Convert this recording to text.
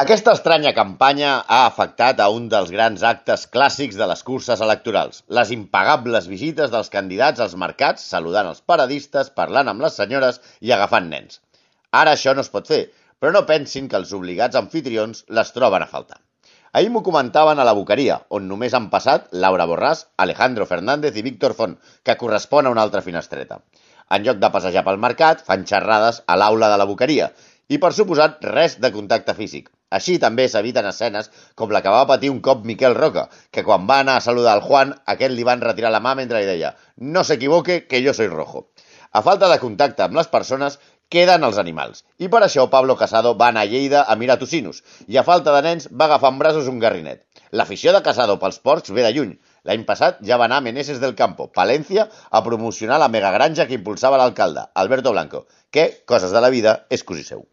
Aquesta estranya campanya ha afectat a un dels grans actes clàssics de les curses electorals, les impagables visites dels candidats als mercats saludant els paradistes, parlant amb les senyores i agafant nens. Ara això no es pot fer, però no pensin que els obligats anfitrions les troben a faltar. Ahir m'ho comentaven a la Boqueria, on només han passat Laura Borràs, Alejandro Fernández i Víctor Font, que correspon a una altra finestreta. En lloc de passejar pel mercat, fan xerrades a l'aula de la Boqueria, i per suposat res de contacte físic. Així també s'eviten escenes com la que va patir un cop Miquel Roca, que quan va anar a saludar el Juan, aquest li van retirar la mà mentre li deia «No s'equivoque, que yo soy rojo». A falta de contacte amb les persones, queden els animals. I per això Pablo Casado va anar a Lleida a mirar tocinos, i a falta de nens va agafar en braços un garrinet. L'afició de Casado pels porcs ve de lluny. L'any passat ja va anar a Meneses del Campo, Palencia, a promocionar la megagranja que impulsava l'alcalde, Alberto Blanco, que, coses de la vida, és cosí seu.